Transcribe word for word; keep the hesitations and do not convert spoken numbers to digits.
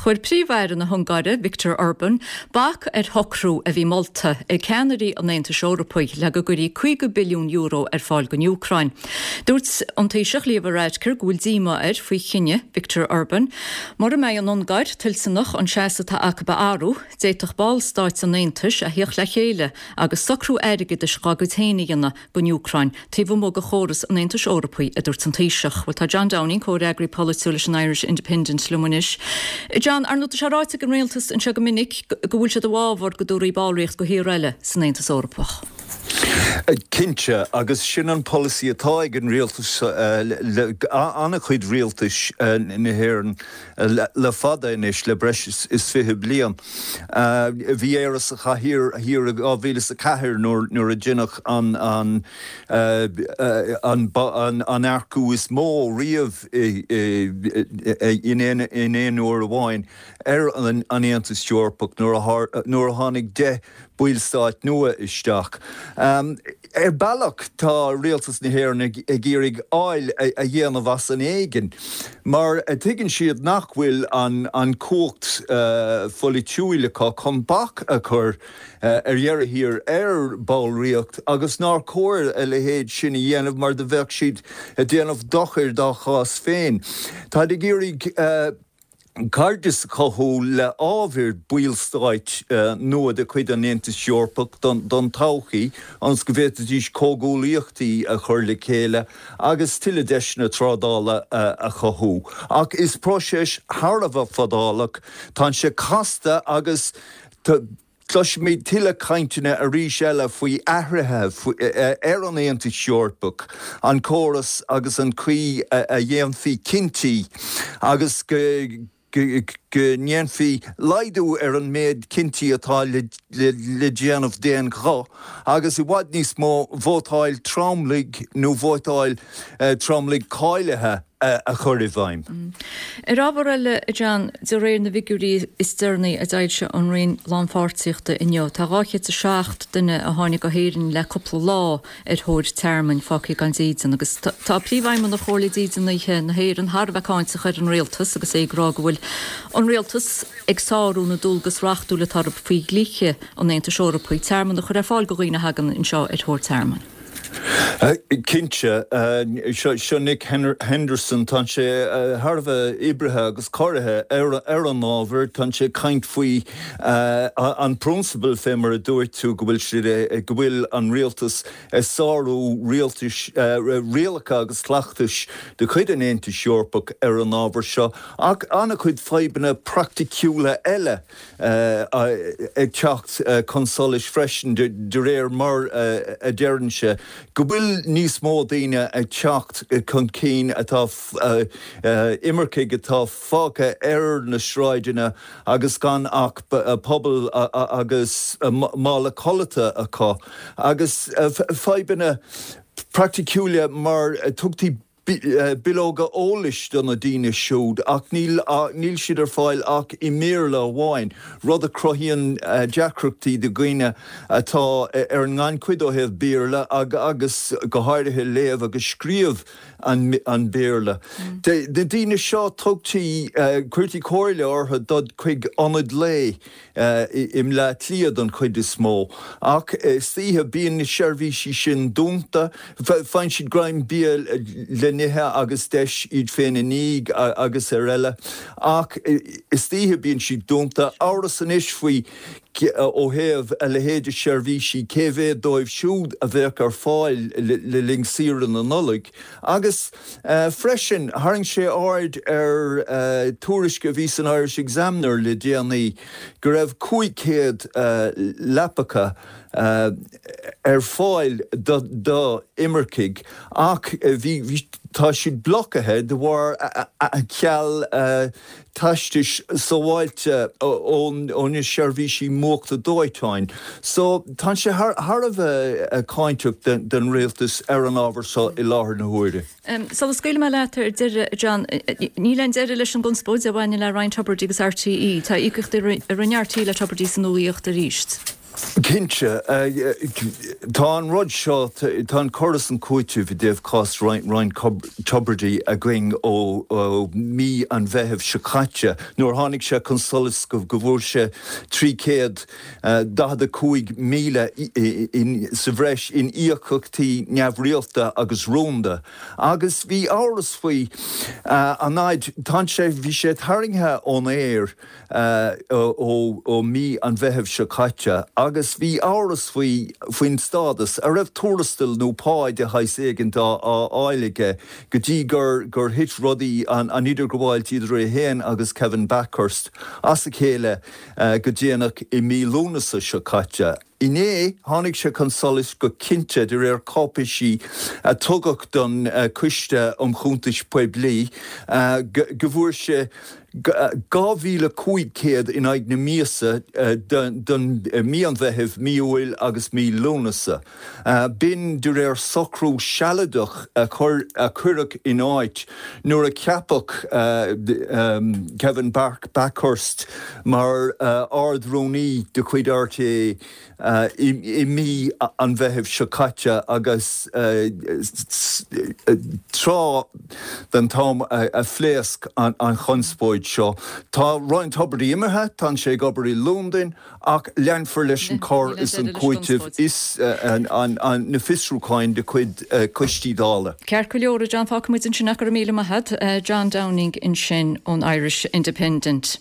Chuir Príomh-Aire na hUngáire, Viktor Orbán, bac ar shocrú a bhí molta ag ceannairí an Aontais Eorpaigh le go gcuirfí caoga billiún euro ar fáil don Úcráin. Dúirt an Taoiseach Leo Varadkar go bhfuil díomá air faoi chinneadh Viktor Orbán. Mura mbeidh an Ungáir toilteanach an seasamh atá acu a athrú, d'fhéadfadh ballstáit an Aontais a theacht le chéile agus socrú airgeadais dá gcuid féin a dhéanamh don Úcráin taobh amuigh de chóras an Aontais Eorpaigh, a dúirt an Taoiseach. Bhuel, tá John Downing, comhfhreagraí polaitiúil leis an Irish Independent, liom anois. John, ar ndóigh tá sé ráite ag an rialtas anseo go minic go bhfuil siad i bhfabhar go dtabharfaí ballraíocht do thír eile san Aontas Eorpach. Cinnte, agus sin an polasaí atá ag an rialtas, an-chuid rialtais na hÉireann le fada anois, le breis is fiche bliain. Bhí Éire sa chathaoir thiar i dhá mhíle is a ceathair nuair a deineadh an an an earcú is mó riamh in aon uair amháin ar an Aontas Eorpach nuair a tháinig deich ballstát nua isteach. Ar bealach tá rialtas na hÉireann ag iarraidh áil a dhéanamh as an éigean mar tuigeann siad nach bhfuil an chumhacht pholaitiúil acu chun bac a chur ar dheireadh thiar ar bhallraíocht agus nár chóir a leithéid sin a dhéanamh mar do bheadh siad ag déanamh dochair dá chás féin. Táid ag iarraidh cairdeas a chothú le ábhair ballstáit nua de chuid an Aontais Eorpaigh don todhchaí, ionas go bhféadfaidís comhghuaillíochtaí a chur le chéile agus tuilleadh deiseanna trádála a chothú. Ach is próiseas thar a bheith fadálach, tá sé casta agus cloisfimid tuilleadh cainteanna arís eile faoi athruithe ar an Aontas Eorpach, an córas agus an chaoi a dhéanfaí cinntí agus go ndéanfaí laghdú ar an méid cinntí atá le déanamh d'aon ghuth agus i bhfad níos mó vótáil tromlaigh nó vótáil tromlaigh cáilithe a chur i bhfeidhm. Ar ábhar eile, a John, de réir na bhfigiúirí is deireanaí a d'fhoilsigh an Roinn Lánpháirtíochta inniu, tá dhá chéad is a seacht duine a tháinig go hÉirinn le cúpla lá ar thóir tearmainn fágtha gan dídean agus tá Príomhfheidhmeannach Chomhairle Dídeanaithe na hÉireann thar a bheith cáinteach ar an rialtas agus é ag rá go bhfuil an rialtas ag sárú na ndualgas reachtúil atá orthu faoi dhlíthe an Aontais Eorpaigh tearmann a chur ar fáil do dhaoine a thagann anseo ar thóir tearmainn. Cinnte, seo Nick Henderson, tá sé thar a bheith oibrithe agus corraithe ar an ábhar, tá sé ag caint faoi an prionsabal fé mar a dúirt tú go bhfuil siad, go bhfuil an rialtas ag sárú rialtais, rialacha agus cleachtais de chuid an Aontais Eorpaigh ar an ábhar seo ach an-chuid fadhbanna praiticiúla eile ag teacht chun solais freisin de réir mar a deireann sé go bhfuil níos mó daoine ag teacht chun cinn atá imircigh atá fágtha ar na sráideanna agus gan ach puball agus mála codlata acu agus fadhbanna praiticiúla mar tugtaí bileoga eolais do na daoine siúd ach níl níl siad ar fáil ach i mBéarla amháin, rud a chruthaíonn deacrachtaí do dhaoine atá ar an ngannchuid ó thaobh Béarla agus go háirithe léamh agus scríobh an Bhéarla. Na daoine seo tugtaí, cuirtí comhairle orthu dul chuig ionad lae i mBleá Cliath don chuid is mó, ach istoíche bíonn na seirbhísí sin dúnta, faigheann siad greim bia le n-ithe agus deis iad féin a ní agus ar eile, ach istoíche bíonn siad dúnta. Amhras anois faoi ó thaobh a leithéid de sheirbhísí, cé mhéad dóibh siúd a bheadh ar fáil le linn saoire na Nollag agus freisin tharraing sé aird ar tuairisc a bhí san Irish Examiner le déanaí go raibh cúig chéad leapacha ar fáil do imircigh ach bhí tá siad blocaithe de bharr ceal teastais sábháilte ó na seirbhísí múchta dóiteáin. So tá sé thar a bheith cáinteach den rialtas ar an ábhar seo i láthair na huaire. Sula scaoilfidh mé leat ar deireadh, a John, níl aon deireadh leis an gconspóid a bhaineann le Ryan Tubridy agus RTÉ. Tá íocaíochtaí a rinne RTÉ le Tubridy san iomaíocht arís. Cinnte tá an rud seo tá an cur is an cúiteamh i dtaobh cás Ryan Tubridy againn ó mí an Mheithimh seo caite nuair tháinig sé chun solais go bhfuair sé trí chéad daichead a cúig míle sa bhreis in íocaíochtaí neamhrialta agus rúnda agus bhí amhras faoi an fhaid tá sé bhí sé tarraingthe ón aer ó mí an Mheithimh seo caite agus bhí amhras faoi faoin stádas an raibh tuarastal nó pá de shaghas éigin á fháil aige go dtí gur gur thit rudaí an an idirghabháil idir é féin agus Kevin Bakhurst as a chéile go déanach i mí Lúnasa seo caite. Inné tháinig sé chun solais go cinnte de réir cáipéisí a tugadh don Choiste um Chuntais Poiblí go bhfuair sé dhá mhíle cúig chéad in aghaidh na míosa don mí an Mheithimh, mí Iúil agus mí Lúnasa. B'in de réir socrú sealadach a cuireadh in áit nuair a ceapadh Kevin Bakhurst mar Ard-Rúnaí de chuid RTÉ i mí an Mheithimh seo caite agus tráth den t-am a phléasc an chonspóid seo. Tá Ryan Tubridy imithe, tá sé ag obair i Londain ach leanfar leis an cur is an cúiteamh is na fiosrúcháin de chuid coistí Dála. Ceart go leor, John fágfaidh muid ansin ach go raibh míle maith agat, John Downing ansin ón Irish Independent.